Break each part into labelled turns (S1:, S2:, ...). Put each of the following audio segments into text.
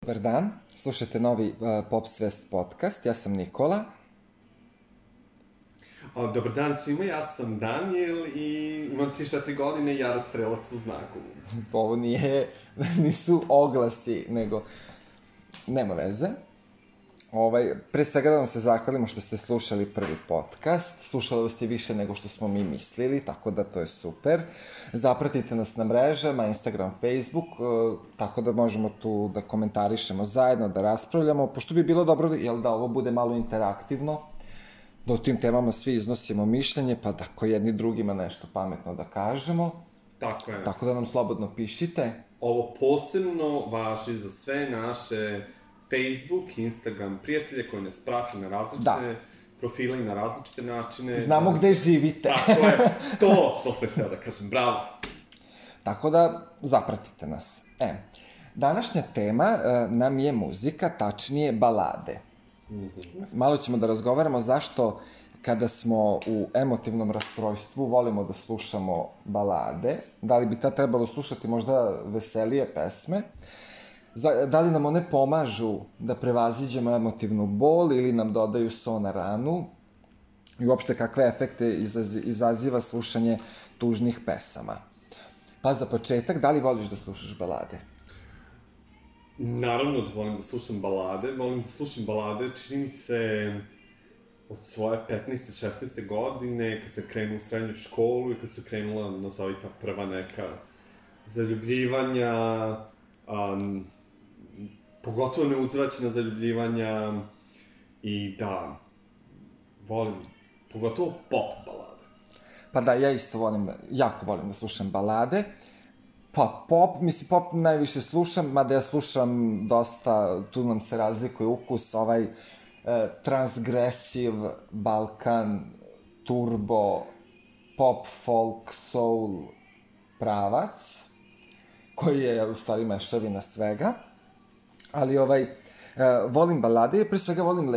S1: Dobar dan, slušajte novi Pop Svest podcast, ja sam Nikola.
S2: Dobar dan svima, ja sam Daniel i imam 34 godine i ja strelac u znaku.
S1: Ovo nisu oglasi, nego nema veze. Pre svega da vam se zahvalimo što ste slušali prvi podcast. Slušali ste više nego što smo mi mislili, tako da to je super. Zapratite nas na mrežama, Instagram, Facebook, tako da možemo tu da komentarišemo zajedno, da raspravljamo, pošto bi bilo dobro da ovo bude malo interaktivno, da o tim temama svi iznosimo mišljenje, pa da ko jedni drugima nešto pametno da kažemo.
S2: Tako je.
S1: Tako da nam slobodno pišite.
S2: Ovo posebno važi za sve naše Facebook, Instagram prijatelje koji nas prate na različite profile i na različite načine.
S1: Znamo gde živite.
S2: Tako je, to se htio da kažem, bravo.
S1: Tako da zapratite nas. Današnja tema nam je muzika, tačnije balade. Malo ćemo da razgovaramo zašto kada smo u emotivnom rastrojstvu volimo da slušamo balade, da li bi tad trebalo slušati možda veselije pesme, da li nam one pomažu da prevaziđemo emotivnu bol ili nam dodaju so na ranu i uopšte kakve efekte izaziva slušanje tužnih pesama. Pa za početak, da li voliš da slušaš balade?
S2: Naravno da volim da slušam balade, čini mi se od svoje 15. 16. godine, kad sam krenuo u srednju školu i kad su krenula, nazovi ta prva neka zaljubljivanja, pogotovo neuzvraćena zaljubljivanja i da, volim, pogotovo pop balade.
S1: Pa da, ja isto jako volim da slušam balade. Pa pop najviše slušam, mada ja slušam dosta, tu nam se razlikuje ukus, transgresiv, Balkan, turbo, pop, folk, soul pravac, koji je u stvari mešavina svega. Ali volim balade i pre svega volim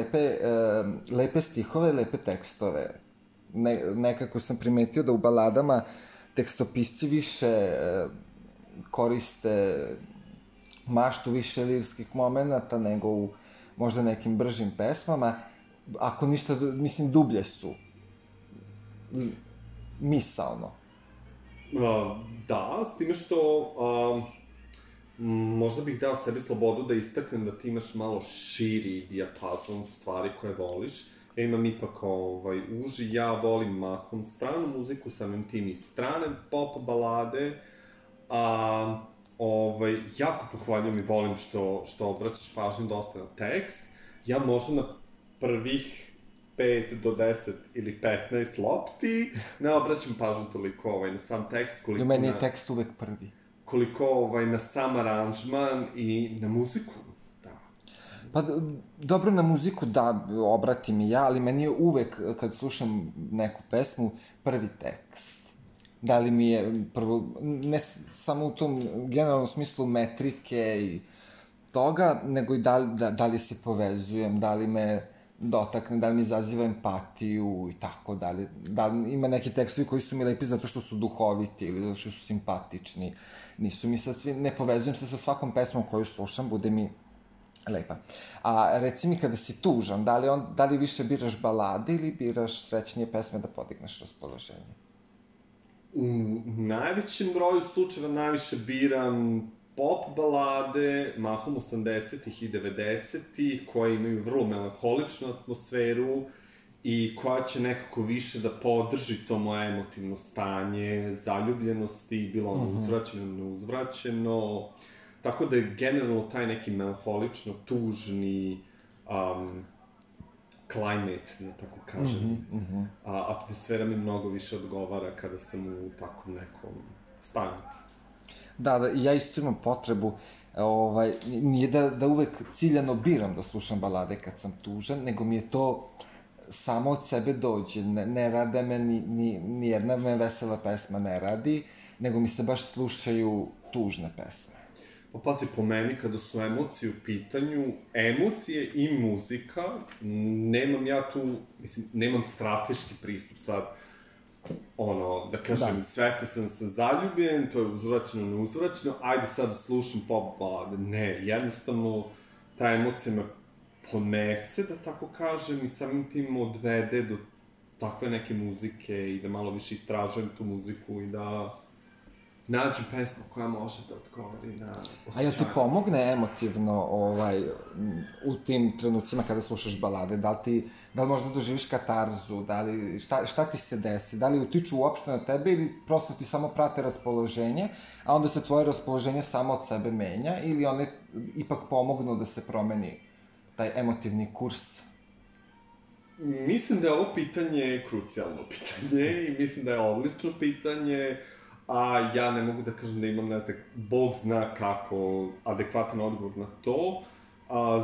S1: lepe stihove, lepe tekstove. Nekako sam primetio da u baladama tekstopisci više koriste maštu više lirskih momenata nego u možda nekim bržim pesmama. Ako ništa, mislim, dublje su. Misaono.
S2: Da, s time što možda bih dao sebi slobodu da istaknem da ti imaš malo širi dijapazon stvari koje voliš. Ja imam ipak uži, ja volim mahom stranu muziku, samim tim i strane pop balade, jako pohvaljujem i volim što obraćaš pažnju dosta na tekst. Ja možda na prvih 5 do 10 ili 15 lopti ne obraćam pažnju toliko na sam tekst, koliko
S1: meni je tekst uvek prvi.
S2: Koliko na sam aranžman i na muziku.
S1: Pa, dobro, na muziku da obratim i ja, ali meni je uvek, kad slušam neku pesmu, prvi tekst. Da li mi je prvo, ne samo u tom generalnom smislu metrike i toga, nego i da li se povezujem, da li me dotakne, da li mi izaziva empatiju i tako dalje. Da li ima neki tekstovi koji su mi lepi zato što su duhoviti ili zato što su simpatični. Nisu mi sad svi, ne povezujem se sa svakom pesmom koju slušam, bude mi lepa. A reci mi, kada si tužan, da li više biraš balade ili biraš srećnije pesme da podigneš raspoloženje?
S2: U najvećem broju slučajeva najviše biram pop balade, mahom 80-ih i 90-ih, koje imaju vrlo melanholičnu atmosferu i koja će nekako više da podrži to moje emotivno stanje, zaljubljenosti, bilo ono uzvraćeno, neuzvraćeno. Tako da je generalno taj neki melanholično tužni climate, da tako kažem. Atmosfera mi mnogo više odgovara kada sam u takvom nekom stanju.
S1: Da, ja isto imam potrebu, nije da uvek ciljano biram da slušam balade kad sam tužan, nego mi je to samo od sebe dođe. Ne rade me, ni jedna me vesela pesma ne radi, nego mi se baš slušaju tužne pesme.
S2: Pa pazi, po meni, kada su emocije u pitanju, emocije i muzika, nemam ja tu, mislim, nemam strateški pristup sad. da kažem, svesna sam zaljubljen, to je uzvraćeno, neuzvraćeno, ajde sad da slušam pop balade. Ne, jednostavno, ta emocija me ponese, da tako kažem, i samim tim odvede do takve neke muzike i da malo više istražujem tu muziku i da nađem pesmu koja može da odgovori na osjećanje.
S1: A jel ti pomogne emotivno u tim trenucima kada slušaš balade? Da li možda doživiš katarzu? Šta ti se desi? Da li utiču uopšte na tebe ili prosto ti samo prate raspoloženje, a onda se tvoje raspoloženje samo od sebe menja ili one ipak pomognu da se promeni taj emotivni kurs?
S2: Mislim da je ovo pitanje krucijalno pitanje i mislim da je odlično pitanje, a ja ne mogu da kažem da imam, ne znam, Bog zna kako adekvatan odgovor na to.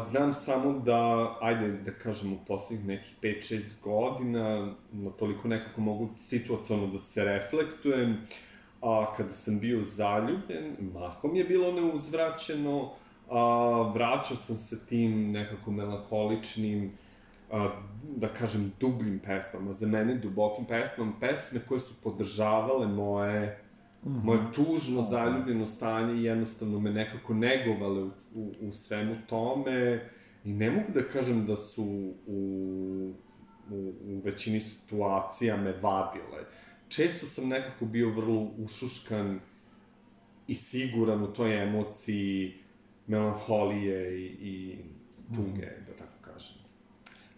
S2: Znam samo da, ajde da kažem, u poslednjih nekih 5-6 godina, toliko nekako mogu situacionalno da se reflektujem, kada sam bio zaljubljen, mahom je bilo neuzvraćeno, vraćao sam se tim nekako melanholičnim, da kažem, dubljim pesmama, za mene dubokim pesmama, pesme koje su podržavale moje tužno zaljubljeno stanje i jednostavno me nekako negovale u svemu tome i ne mogu da kažem da su u većini situacija me vadile. Često sam nekako bio vrlo ušuškan i siguran u toj emociji melanholije i tuge, da tako kažem.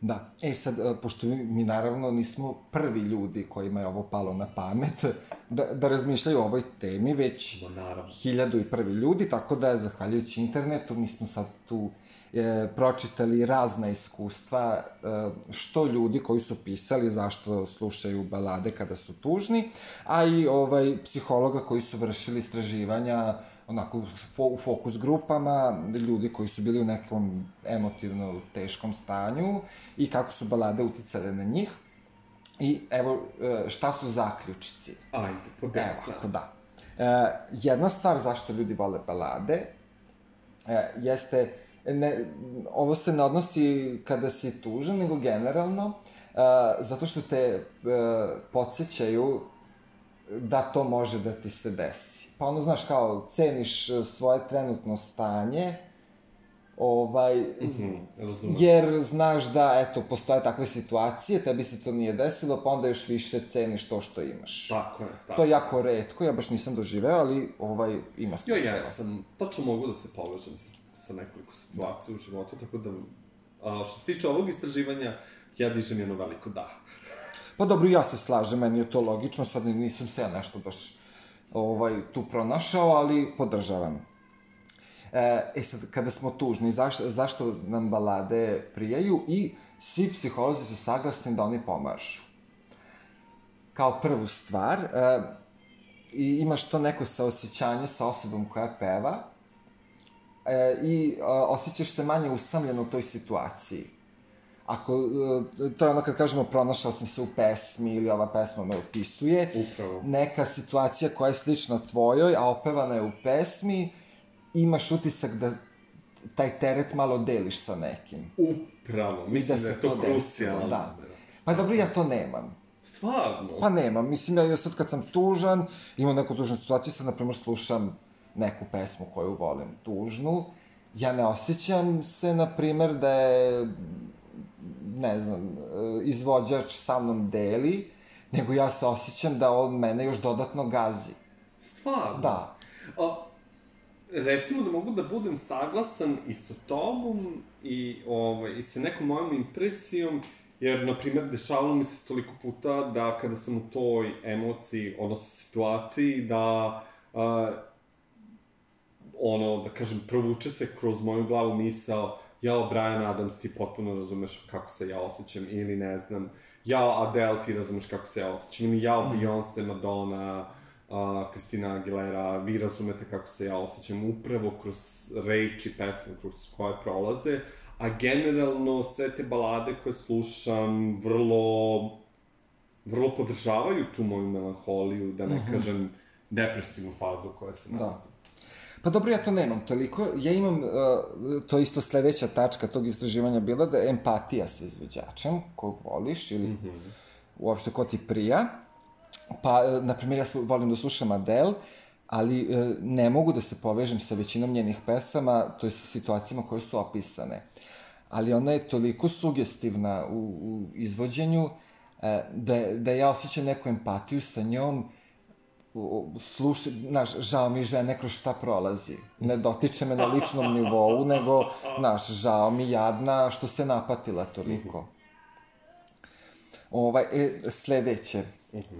S1: Da. Sad, pošto mi naravno nismo prvi ljudi kojima je ovo palo na pamet da razmišljaju o ovoj temi, već 1001 ljudi, tako da, zahvaljujući internetu, mi smo sad tu pročitali razna iskustva, što ljudi koji su pisali zašto slušaju balade kada su tužni, a i psihologa koji su vršili istraživanja onako u fokus grupama, ljudi koji su bili u nekom emotivno teškom stanju i kako su balade uticale na njih. I evo, šta su zaključici?
S2: Ajde, podesna.
S1: Evo, ako da. Jedna stvar zašto ljudi vole balade jeste, ovo se ne odnosi kada si tužan, nego generalno, zato što te podsjećaju da to može da ti se desi. Pa ono, znaš, kao, ceniš svoje trenutno stanje, jer znaš da, eto, postoje takve situacije, tebi se to nije desilo, pa onda još više ceniš to što imaš.
S2: Tako je.
S1: To je jako retko, ja baš nisam doživeo, ali ima slučajeva.
S2: Ja sam, točno mogu da se povežem sa nekoliko situacija u životu, tako da, što se tiče ovog istraživanja, ja dižem jedno veliko da.
S1: Pa dobro, ja se slažem, meni je to logično, sad nisam se ja nešto baš tu pronašao, ali podržavam. Sad, kada smo tužni, zašto nam balade prijaju i svi psiholozi su saglasni da oni pomažu. Kao prvu stvar, imaš to neko saosjećanje sa osobom koja peva i osjećaš se manje usamljeno u toj situaciji. To je ono kad kažemo pronašao sam se u pesmi ili ova pesma me opisuje.
S2: Upravo.
S1: Neka situacija koja je slična tvojoj, a opevana je u pesmi, imaš utisak da taj teret malo deliš sa nekim.
S2: Upravo, mislim da je to krucijalno.
S1: Da. Pa dobro, ja to nemam.
S2: Stvarno?
S1: Pa nemam, mislim, ja sad kad sam tužan, imam neku tužnu situaciju, sad, na primjer, slušam neku pesmu koju volim, tužnu, ja ne osjećam se, na primjer, da je, ne znam, izvođač sa mnom deli, nego ja se osjećam da on mene još dodatno gazi.
S2: Stvarno?
S1: Da.
S2: Recimo da mogu da budem saglasan i sa tobom i sa nekom mojom impresijom, jer, na primjer, dešavalo mi se toliko puta da kada sam u toj emociji, odnosno situaciji, da da kažem, provuče se kroz moju glavu misao, jao, Bryan Adams, ti potpuno razumeš kako se ja osjećam, ili ne znam, jao, Adele, ti razumeš kako se ja osjećam, ili jao, Beyoncé, Madonna, Christina Aguilera, vi razumete kako se ja osjećam, upravo kroz reči, pesme kroz koje prolaze, a generalno sve te balade koje slušam vrlo podržavaju tu moju melanholiju, da ne kažem depresivnu fazu u kojoj se nalazim.
S1: Pa dobro, ja to nemam toliko. Ja imam, to isto sledeća tačka tog istraživanja bila da je empatija sa izvođačem, kog voliš ili uopšte ko ti prija. Pa, na primjer, volim da slušam Adele, ali ne mogu da se povežem sa većinom njenih pesama, to je sa situacijama koje su opisane. Ali ona je toliko sugestivna u izvođenju, da ja osjećam neku empatiju sa njom, znaš, žao mi žene kroz šta prolazi. Ne dotiče me na ličnom nivou, nego, znaš, žao mi jadna što se napatila toliko. Sledeće,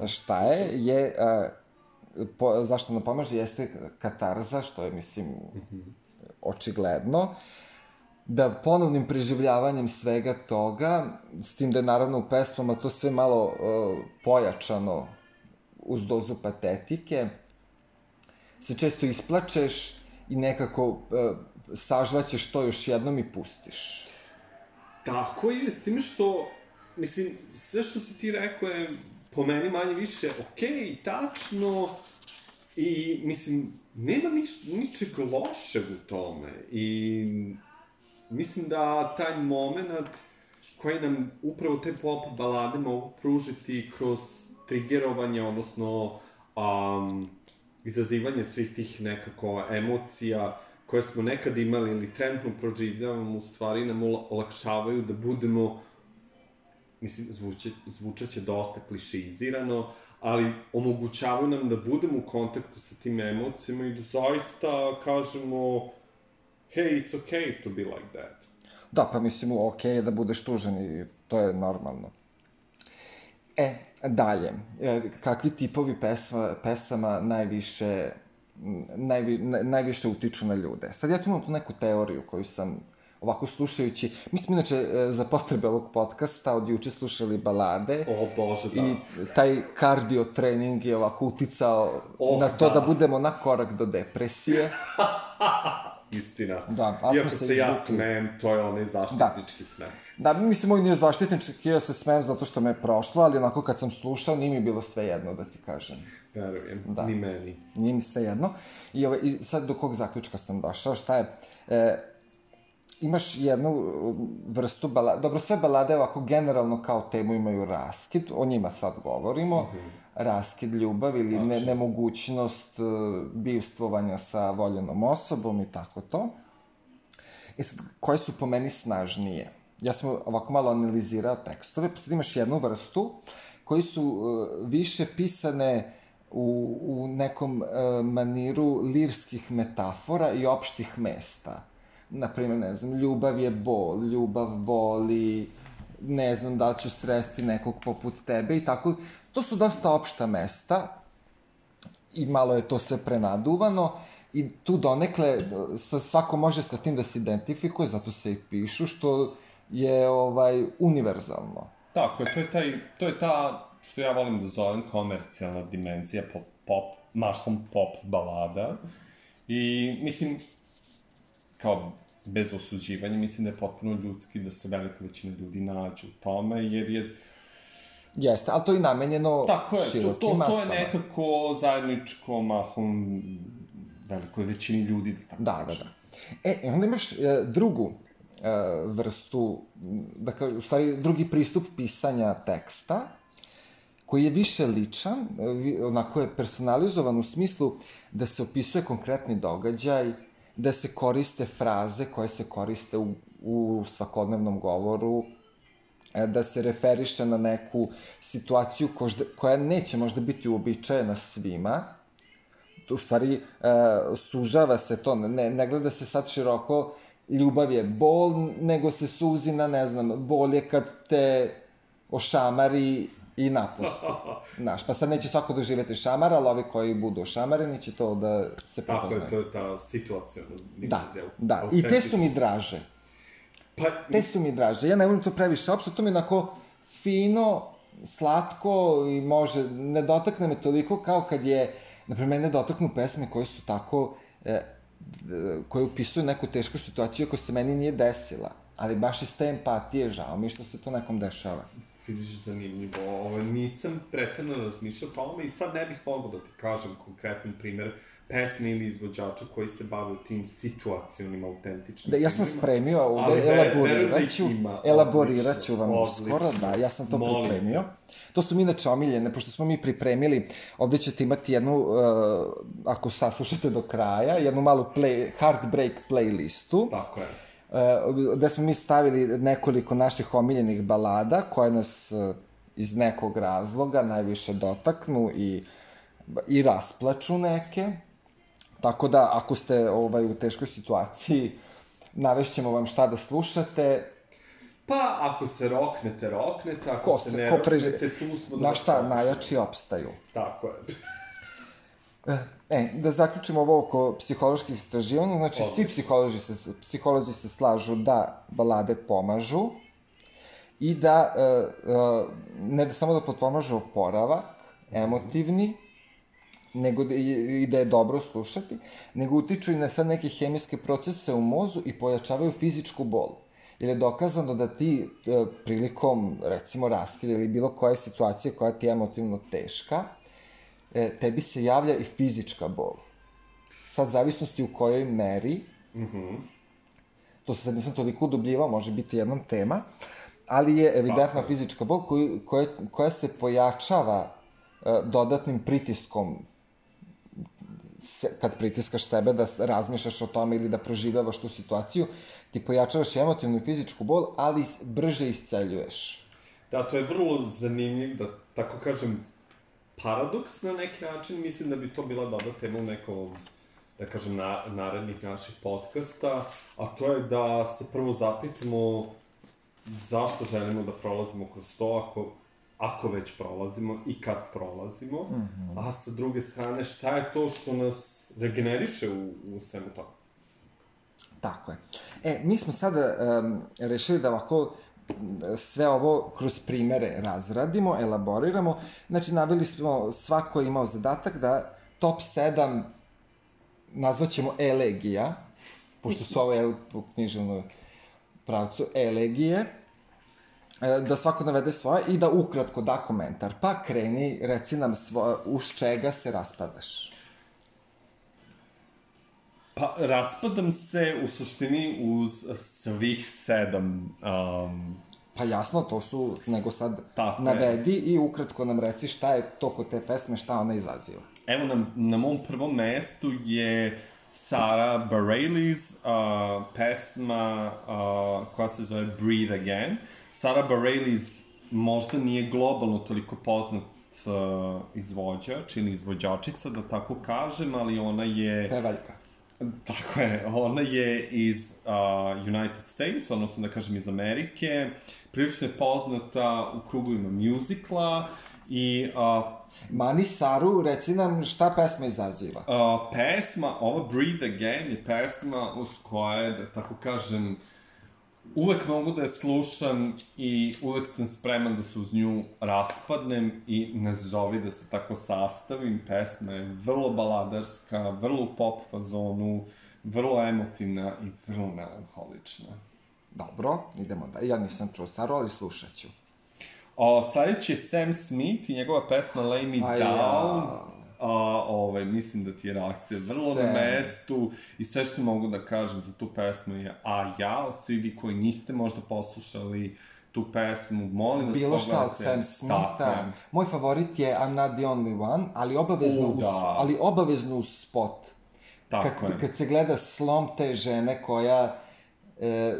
S1: šta je, zašto nam pomaže, jeste katarza, što je, mislim, očigledno, da ponovnim preživljavanjem svega toga, s tim da je naravno u pesmama to sve malo pojačano uz dozu patetike, se često isplačeš i nekako sažvaćeš to još jednom i pustiš.
S2: Tako je, s tim što, mislim, sve što si ti rekao je po meni manje više okej, tačno, i, mislim, nema ničeg lošeg u tome. I mislim da taj moment koji nam upravo te pop balade mogu pružiti kroz triggerovanje, odnosno izazivanje svih tih nekako emocija koje smo nekad imali ili trenutno proživljavamo, u stvari nam olakšavaju da budemo, mislim, zvučaće dosta klišeizirano, ali omogućavaju nam da budemo u kontaktu sa tim emocijama i da zaista kažemo hey, it's okay to be like that.
S1: Da, pa mislim, okej je da budeš tužan i to je normalno. Dalje, kakvi tipovi pesama najviše utiču na ljude? Sad ja tu imam tu neku teoriju koju sam ovako slušajući, mi smo inače za potrebe ovog podcasta od juče slušali balade.
S2: O Bože, da.
S1: I taj kardio trening je ovako uticao na to da budemo na korak do depresije.
S2: Istina.
S1: Da, a
S2: iako
S1: smo se
S2: se ja
S1: izvukli.
S2: smem, to je onaj zaštitnički smem.
S1: Da, mislim, moj nije zaštitnički, ja se smem zato što me je prošlo, ali onako kad sam slušao, nije mi bilo sve jedno, da ti kažem.
S2: Verujem, ni meni.
S1: Nije mi sve jedno. I sad do kog zaključka sam došao, šta je... Imaš jednu vrstu balada, dobro, sve balade ovako generalno kao temu imaju raskid, o njima sad govorimo, raskid, ljubav ili nemogućnost bivstvovanja sa voljenom osobom i tako to. I sad, koje su po meni snažnije? Ja sam ovako malo analizirao tekstove, pa sad imaš jednu vrstu koji su više pisane u nekom maniru lirskih metafora i opštih mesta. Naprimer, ne znam, ljubav je bol, ljubav boli, ne znam da li ću sresti nekog poput tebe i tako. To su dosta opšta mesta i malo je to sve prenaduvano i tu donekle svako može sa tim da se identifikuje, zato se i pišu, što je univerzalno.
S2: Tako je, to je ta, što ja volim da zovem komercijalna dimenzija mahom pop balada. I, mislim, kao bez osuđivanja, mislim da je potpuno ljudski da se velika većina ljudi nađu u tome, jer je...
S1: Jeste, ali to je namenjeno širokim masama.
S2: To je nekako zajedničko mahom velikoj većini ljudi, da tako kažem.
S1: Onda imaš drugu vrstu, u stvari drugi pristup pisanja teksta, koji je više ličan, onako je personalizovan u smislu da se opisuje konkretni događaj, da se koriste fraze koje se koriste u svakodnevnom govoru, da se referiše na neku situaciju koja neće možda biti uobičajena svima. U stvari, sužava se to, ne gleda se sad široko, ljubav je bol, nego se suzi na, ne znam, bol je kad te ošamari i napusti. Znaš, pa sad neće svako doživjeti šamar, ali ovi koji budu ošamareni će to da se prepoznaju.
S2: Tako je, to je ta situacijona dimenzija.
S1: Da, i te su mi draže. Te su mi draže. Ja ne volim to previše opšte, to mi je onako fino, slatko i može, ne dotakne me toliko kao kad je, naprimjer, ne dotaknu pesme koje su tako, koje upisuju neku tešku situaciju koja se meni nije desila. Ali baš iz te empatije žao mi što se to nekom dešava.
S2: Vidiš, zanimljivo. Nisam pretredno razmišljao o tome i sad ne bih mogao da ti kažem konkretan primer pesme ili izvođača koji se bave tim situacionim, autentičnim.
S1: Da, ja sam spremio ovde, elaborirat ću vam uskoro, da, ja sam to pripremio. To su mi inače omiljene, pošto smo mi pripremili, ovde ćete imati jednu, ako saslušate do kraja, jednu malu Heartbreak playlistu.
S2: Tako je.
S1: Gde smo mi stavili nekoliko naših omiljenih balada, koje nas iz nekog razloga najviše dotaknu i rasplaču neke. Tako da, ako ste u teškoj situaciji, navešćemo vam šta da slušate.
S2: Pa, ako se roknete, ako se ne roknete, tu smo da...
S1: Na šta, najjači opstaju.
S2: Tako je.
S1: Da zaključimo ovo oko psiholoških istraživanja, znači svi psiholozi se slažu da balade pomažu i da, ne da samo da potpomažu oporavak, emotivni, nego i da je dobro slušati, nego utiču i na sad neke hemijske procese u mozu i pojačavaju fizičku bol. Jer je dokazano da ti prilikom, recimo, raskida ili bilo koje situacije koja ti je emotivno teška, tebi se javlja i fizička bol. Sad, zavisnosti u kojoj meri, to se sad nisam toliko udubljivao, može biti jednom tema, ali je evidentna fizička bol koja se pojačava dodatnim pritiskom, kad pritiskaš sebe da razmišljaš o tome ili da proživljavaš tu situaciju, ti pojačavaš emotivnu i fizičku bol, ali brže isceljuješ.
S2: Da, to je vrlo zanimljiv, da tako kažem, paradoks na neki način. Mislim da bi to bila dobra tema u nekom, da kažem, narednih naših podcasta, a to je da se prvo zapitamo zašto želimo da prolazimo kroz to, ako već prolazimo i kad prolazimo, a sa druge strane, šta je to što nas regeneriše u svemu toga?
S1: Tako je. Mi smo sada rešili da ovako sve ovo kroz primere razradimo, elaboriramo. Znači, naveli smo, svako je imao zadatak da top 7 nazvaćemo elegija, pošto su ovo u književnom pravcu elegije, da svako navede svoje i da ukratko da komentar. Pa kreni, reci nam uz čega se raspadaš.
S2: Pa, raspadam se u suštini uz svih 7.
S1: Pa jasno, to su, nego sad navedi i ukratko nam reci šta je to kod te pesme, šta ona izaziva.
S2: Evo, na mom prvom mestu je Sarah Bareilles pesma koja se zove Breathe Again. Sarah Bareilles možda nije globalno toliko poznat izvođač ili izvođačica, da tako kažem, ali ona je...
S1: Pevaljka.
S2: Tako je, ona je iz United States, odnosno da kažem iz Amerike, prilično je poznata u krugovima muzikla i...
S1: Mani Saru, reci nam šta pesma izaziva.
S2: Pesma, ova Breathe Again je pesma uz koje, da tako kažem, uvek mogu da je slušam i uvek sam spreman da se uz nju raspadnem i nazovi da se tako sastavim. Pesma je vrlo baladarska, vrlo u pop fazonu, vrlo emotivna i vrlo melanholična.
S1: Dobro, idemo da. Ja nisam čuo Saru, ali slušat ću.
S2: Sledeći je Sam Smith i njegova pesma Lay Me Down. Mislim da ti je reakcija vrlo na mestu i sve što mogu da kažem za tu pesmu je svi vi koji niste možda poslušali tu pesmu, molim vas
S1: bilo šta od Sam Smitha. Moj favorit je I'm Not The Only One, ali obavezno uz spot. Kad se gleda slom te žene koja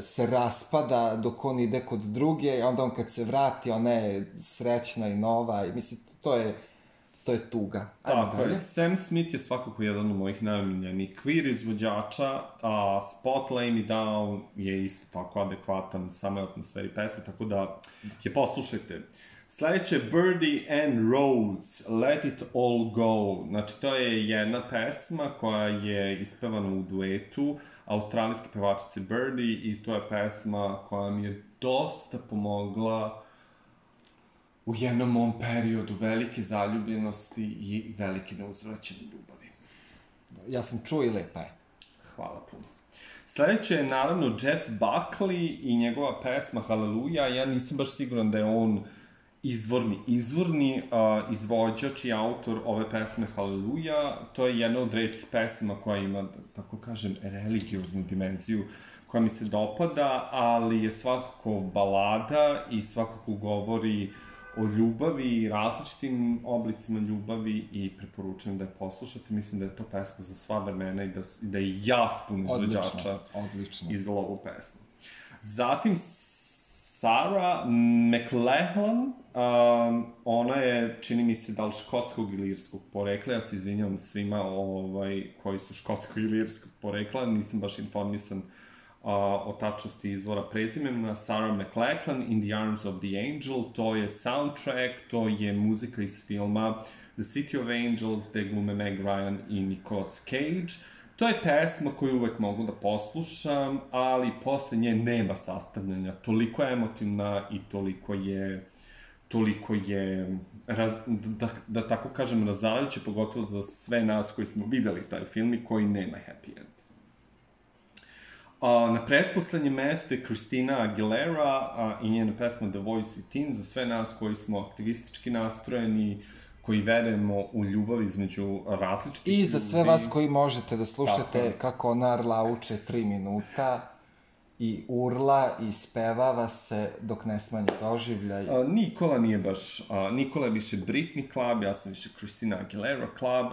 S1: se raspada dok on ide kod druge, a onda on kad se vrati, ona je srećna i nova, mislim, to je tuga.
S2: Tako je, Sam Smith je svakako jedan od mojih najomiljenijih queer izvođača, a Spot Lay Me Down je isto tako adekvatan samoj atmosferi pesme, tako da je poslušajte. Sledeće je Birdie and Rhodes, Let It All Go. Znači, to je jedna pesma koja je ispevana u duetu australijske pevačice Birdie i to je pesma koja mi je dosta pomogla u jednom mom periodu velike zaljubljenosti i velike neuzvraćene ljubavi.
S1: Ja sam čuo i lepa je.
S2: Hvala puno. Sledeće je naravno Jeff Buckley i njegova pesma Hallelujah. Ja nisam baš siguran da je on izvorni izvođač i autor ove pesme Haleluja. To je jedna od retkih pesama koja ima, da tako kažem, religioznu dimenziju koja mi se dopada, ali je svakako balada i svakako govori o ljubavi, različitim oblicima ljubavi i preporučujem da je poslušate. Mislim da je to pesma za sva vremena i da je jako puno izvođača izvela ovu pesmu. Zatim, Sarah McLachlan, ona je, čini mi se, da li škotskog ili irskog porekla, ja se izvinjavam svima koji su škotskog ili irskog porekla, nisam baš informisan o tačnosti izvora prezimena. Sarah McLachlan, In the Arms of the Angel, to je soundtrack, to je muzika iz filma The City of Angels, gde glume Meg Ryan i Nicolas Cage. To je pesma koju uvek mogu da poslušam, ali posle nje nema sastavljanja. Toliko je emotivna i toliko je, da tako kažem, razaljuće, pogotovo za sve nas koji smo videli taj film i koji nema happy end. Na pretposlednjem mestu je Christina Aguilera i njena pesma The Voice Within, za sve nas koji smo aktivistički nastrojeni, koji verujemo u ljubav između različitih ljudi.
S1: I za sve vas koji možete da slušate kako ona arlauče 3 minuta i urla i spevava se dok ne smanji doživljaj.
S2: Nikola je više Britney Club, ja sam više Christina Aguilera Club,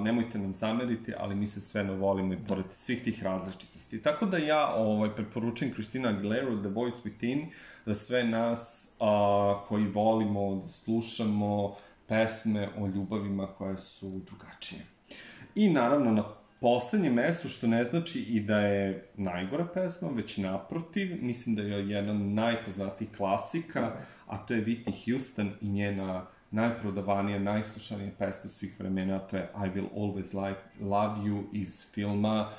S2: nemojte nam zameriti, ali mi se sve volimo i pored svih tih različitosti. Tako da ja preporučujem Christina Aguilera, The Voice Within, za sve nas koji volimo da slušamo pesme o ljubavima koje su drugačije. I naravno na poslednjem mestu, što ne znači i da je najgora pesma, već naprotiv, mislim da je jedna najpoznatijih klasika, a to je Whitney Houston i njena najprodavanija, najslušanija pesma svih vremena, a to je I Will Always Love You iz filma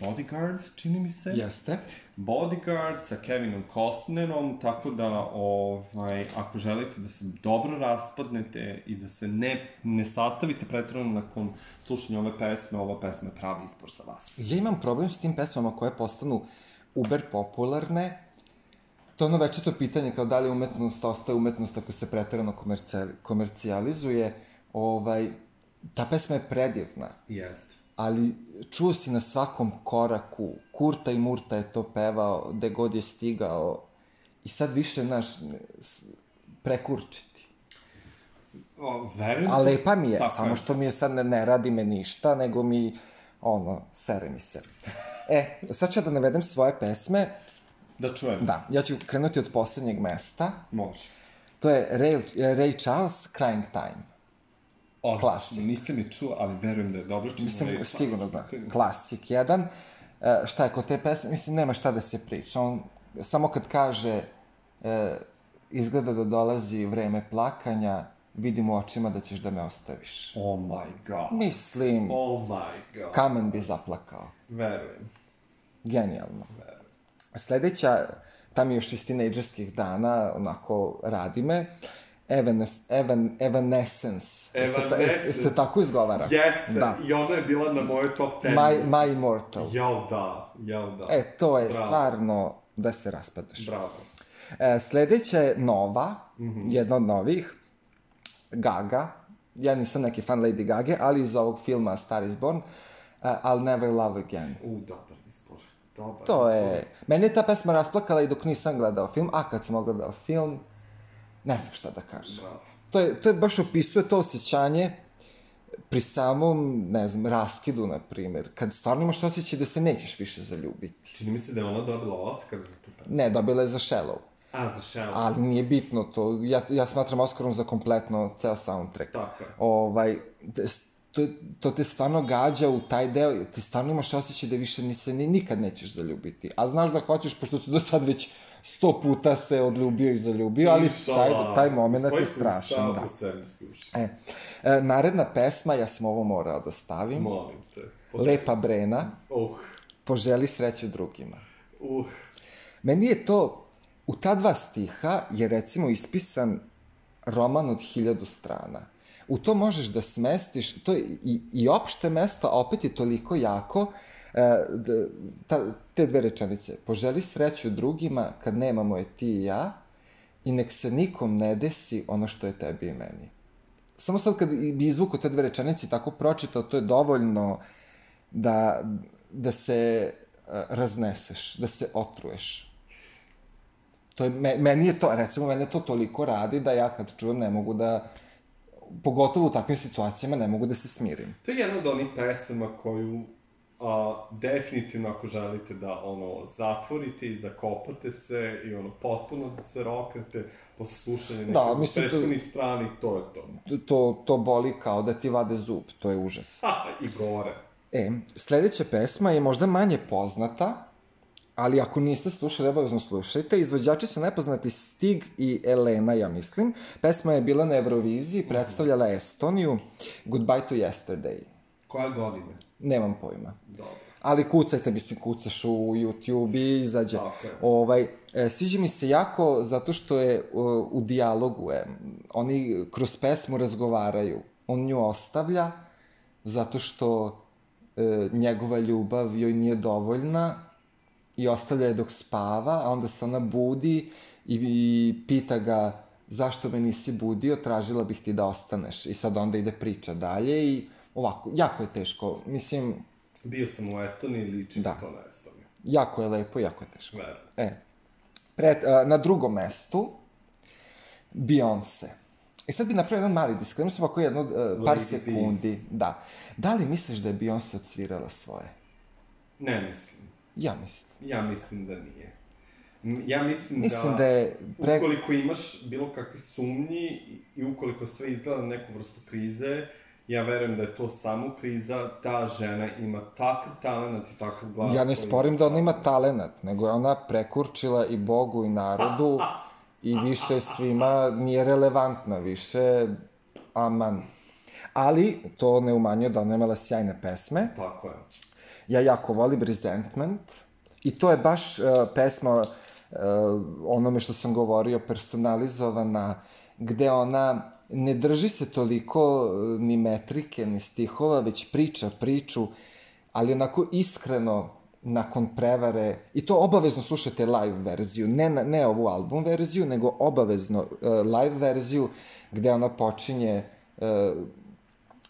S2: Bodyguard, čini mi se.
S1: Jeste.
S2: Bodyguard sa Kevinom Costnerom, tako da ako želite da se dobro raspadnete i da se ne sastavite pretrano nakon slušanja ove pesme, ova pesma je pravi izbor za vas.
S1: Ja imam problem s tim pesmama koje postanu uber popularne. To je ono večito pitanje kao da li umetnost ostaje umetnost ako se pretrano komercijalizuje. Ta pesma je predivna.
S2: Jeste.
S1: Ali čuo si na svakom koraku, Kurta i Murta je to pevao, gde god je stigao, i sad više, prekurčiti. A lepa mi je, samo što mi je sad ne radi me ništa, nego mi, sere mi se. Sad ću da navedem svoje pesme.
S2: Da čujem.
S1: Da, ja ću krenuti od poslednjeg mesta.
S2: Može.
S1: To je Ray Charles, Crying Time. Klasik.
S2: Nisam je čuo, ali verujem da je dobro.
S1: Mislim, sigurno znam. Klasik jedan. Šta je kod te pesme? Mislim, nema šta da se priča. On samo kad kaže izgleda da dolazi vreme plakanja, vidim u očima da ćeš da me ostaviš.
S2: Oh my god.
S1: Mislim, kamen bi zaplakao.
S2: Verujem.
S1: Genijalno. Sledeća, tam je još iz tinejdžerskih dana, onako radi me, Evanescence. Jeste tako izgovara?
S2: Jeste, i ona je bila na mojoj top 10.
S1: My Immortal.
S2: Jao da.
S1: To je stvarno da se raspadaš.
S2: Bravo.
S1: Sledeća je nova, jedna od novih, Gaga. Ja nisam neki fan Lady Gage, ali iz ovog filma Star is Born, I'll Never Love Again.
S2: Dobar izbor.
S1: To je... Mene je ta pesma rasplakala i dok nisam gledao film, a kad sam gledao film, ne znam šta da kažem. To je baš opisuje to osjećanje pri samom, ne znam, raskidu, na primjer, kad stvarno imaš osjećaj da se nećeš više zaljubiti.
S2: Čini mi se da je ona dobila Oscar za tu pesmu.
S1: Ne, dobila je za Shallow.
S2: Za Shallow.
S1: Ali nije bitno to. Ja smatram Oscarom za kompletno ceo soundtrack.
S2: Tako je.
S1: To te stvarno gađa u taj deo, ti stvarno imaš osjećaj da više se nikad nećeš zaljubiti. A znaš da hoćeš, pošto si do sad već 100 puta se odljubio i zaljubio, ali taj moment je strašan. Naredna pesma, ja sam ovo morao da stavim.
S2: Molim te.
S1: Lepa Brena. Poželi sreću drugima. Meni je to, u ta 2 stiha je recimo ispisan roman od 1000 strana. U to možeš da smestiš, to je i opšte mesto, a opet je toliko jako, te 2 rečenice. Poželi sreću drugima kad nemamo je ti i ja, i nek se nikom ne desi ono što je tebi i meni. Samo sad kad bi izvukao te dve rečenice tako pročitao, to je dovoljno da se razneseš, da se otruješ. To je, meni je to, recimo, mene to toliko radi da ja kad čujem ne mogu da, pogotovo u takvim situacijama, ne mogu da se smirim.
S2: To je jedna od onih pesama koju definitivno ako želite da zatvorite i zakopate se i potpuno da se roknete posle slušanja nekog prethodnih strani, to je to.
S1: To boli kao da ti vade zub, to je užas.
S2: I gore.
S1: Sledeća pesma je možda manje poznata, ali ako niste slušali, obavezno slušajte. Izvođači su nepoznati Stig i Elena, ja mislim. Pesma je bila na Euroviziji, predstavljala Estoniju. Goodbye to Yesterday.
S2: Koja godina?
S1: Nemam pojma.
S2: Dobro.
S1: Ali kucajte, kucaš u YouTube i izađe. Sviđa mi se jako zato što je u dijalogu. Oni kroz pesmu razgovaraju. On nju ostavlja zato što njegova ljubav joj nije dovoljna i ostavlja je dok spava, a onda se ona budi i pita ga zašto me nisi budio, tražila bih ti da ostaneš. I sad onda ide priča dalje i ovako, jako je teško, mislim...
S2: Bio sam u Estoniji, liči to na Estoniju.
S1: Jako je lepo, jako je teško.
S2: Verujem.
S1: Na drugom mestu, Beyoncé. I sad bi napravio jedan mali disclaimer, samo ako jedno par sekundi. Da li misliš da je Beyoncé odsvirala svoje?
S2: Ne mislim.
S1: Ja mislim.
S2: Ja mislim da nije. Ja mislim
S1: da je...
S2: Ukoliko imaš bilo kakve sumnji i ukoliko sve izgleda na neku vrstu krize, ja verujem da je to samo kriza, ta žena ima takav talent i takav glas...
S1: Ja ne sporim da ona ima talent, nego je ona prekurčila i Bogu i narodu i više svima nije relevantna, više aman. Ali to ne umanjuje da ona imala sjajne pesme.
S2: Tako je.
S1: Ja jako volim Resentment i to je baš pesma onome što sam govorio, personalizovana, gde ona ne drži se toliko ni metrike, ni stihova, već priča priču, ali onako iskreno nakon prevare, i to obavezno slušajte live verziju, ne ovu album verziju, nego obavezno live verziju, gde ona počinje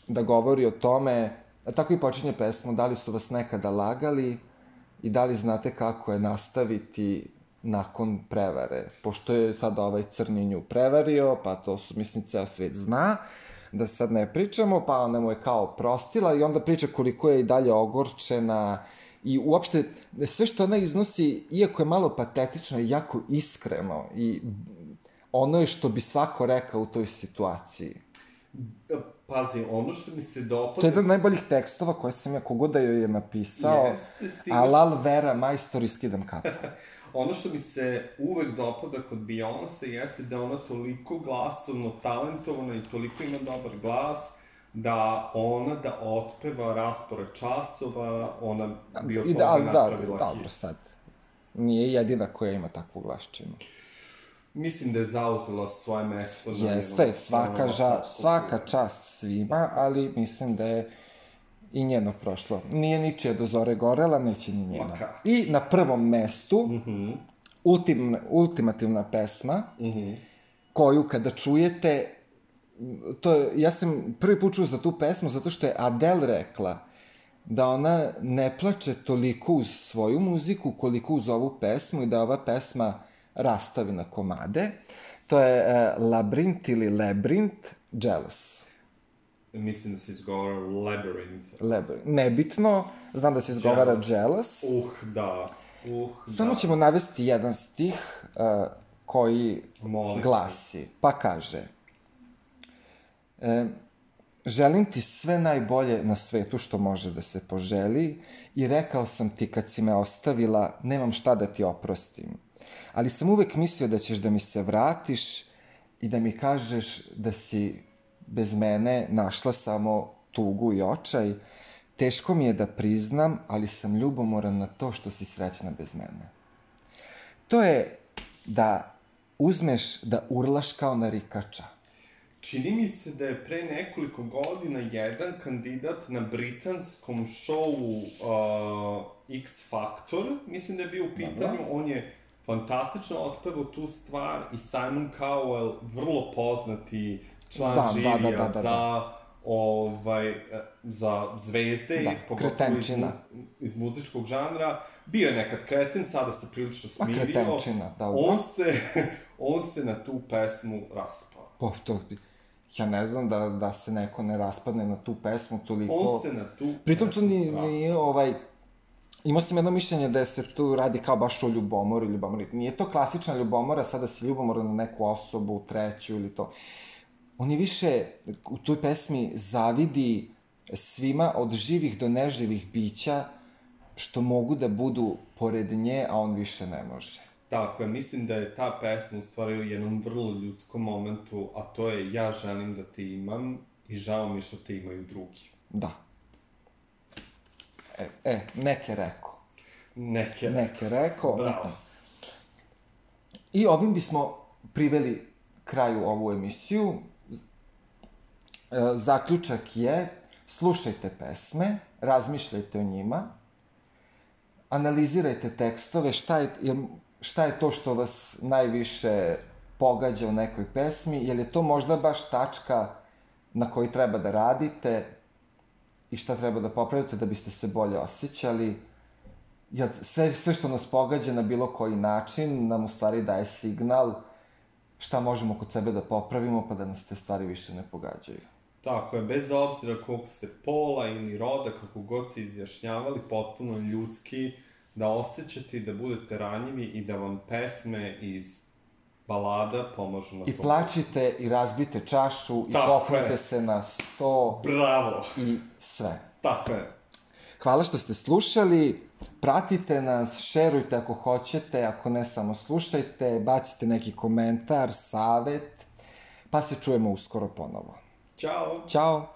S1: da govori o tome, tako i počinje pesmu, da li su vas nekada lagali i da li znate kako je nastaviti nakon prevare. Pošto je sad ovaj crni nju prevario, pa to su, mislim, ceo svet zna, da sad ne pričamo, pa ona mu je kao prostila i onda priča koliko je i dalje ogorčena i uopšte sve što ona iznosi, iako je malo patetično, je jako iskreno i ono je što bi svako rekao u toj situaciji.
S2: Pazi, ono što mi se dopada...
S1: To je jedan od najboljih tekstova koje sam ja kogod da joj je napisao, alal vera, majstor i skidam kapu.
S2: Ono što mi se uvek dopada kod Beyoncé jeste da ona toliko glasovno talentovana i toliko ima dobar glas, da ona da otpeva raspored časova, ona bi od toga napravila hit.
S1: Dobro, sad. Nije jedina koja ima takvu glasčinu.
S2: Mislim da je zauzela svoje mesto.
S1: Jeste, svaka čast svima, ali mislim da je i njeno prošlo. Nije ničija do zore gorela, neće ni njena. I na prvom mestu, ultimativna pesma, koju kada čujete, ja sam prvi put čuo za tu pesmu zato što je Adele rekla da ona ne plače toliko uz svoju muziku koliko uz ovu pesmu i da ova pesma rastavi na komade. To je Labyrinth ili Labyrinth, Jealous.
S2: Mislim da se izgovara Labyrinth.
S1: Nebitno, znam da se izgovara Jealous.
S2: Da.
S1: Samo ćemo navesti jedan stih koji glasi, pa kaže: želim ti sve najbolje na svetu što može da se poželi i rekao sam ti kad si me ostavila, nemam šta da ti oprostim. Ali sam uvek mislio da ćeš da mi se vratiš i da mi kažeš da si bez mene našla samo tugu i očaj. Teško mi je da priznam, ali sam ljubomoran na to što si srećna bez mene. To je da uzmeš da urlaš kao narikača.
S2: Čini mi se da je pre nekoliko godina jedan kandidat na britanskom šovu X Factor, mislim da je bio u pitanju, on je fantastično otpevao tu stvar i Simon Cowell, vrlo poznati član
S1: Znam,
S2: žirija
S1: da.
S2: za zvezde,
S1: Da,
S2: pogotovo
S1: kretenčina.
S2: iz muzičkog žanra. Bio je nekad kreten, sada se prilično smirio.
S1: Kretenčina, dobro.
S2: On se na tu pesmu raspao.
S1: Ja ne znam da se neko ne raspadne na tu pesmu toliko...
S2: On se na tu
S1: Pritom tu
S2: pesmu
S1: nije imao sam jedno mišljenje da se tu radi kao baš o ljubomori. Nije to klasična ljubomora, sada si ljubomoran na neku osobu, treću ili to. On je više u toj pesmi zavidi svima od živih do neživih bića što mogu da budu pored nje, a on više ne može.
S2: Tako je, mislim da je ta pesma u stvari u jednom vrlo ljudskom momentu, a to je ja želim da te imam i žao mi što te imaju drugi.
S1: Da. Neke rekao. Neke rekao.
S2: Bravo.
S1: I ovim bismo priveli kraju ovu emisiju. Zaključak je, slušajte pesme, razmišljajte o njima, analizirajte tekstove, šta je to što vas najviše pogađa u nekoj pesmi, jer je to možda baš tačka na kojoj treba da radite i šta treba da popravite da biste se bolje osjećali. Jer sve što nas pogađa na bilo koji način nam u stvari daje signal šta možemo kod sebe da popravimo pa da nas te stvari više ne pogađaju.
S2: Tako je, bez obzira kog ste pola ili roda, kako god se izjašnjavali, potpuno ljudski, da osjećate i da budete ranjivi i da vam pesme iz balada pomažu na to.
S1: I plačite i razbite čašu i popnite se na sto.
S2: Bravo!
S1: I sve.
S2: Tako je.
S1: Hvala što ste slušali, pratite nas, šerujte ako hoćete, ako ne samo slušajte, bacite neki komentar, savet, pa se čujemo uskoro ponovo.
S2: Ćao!
S1: Ćao!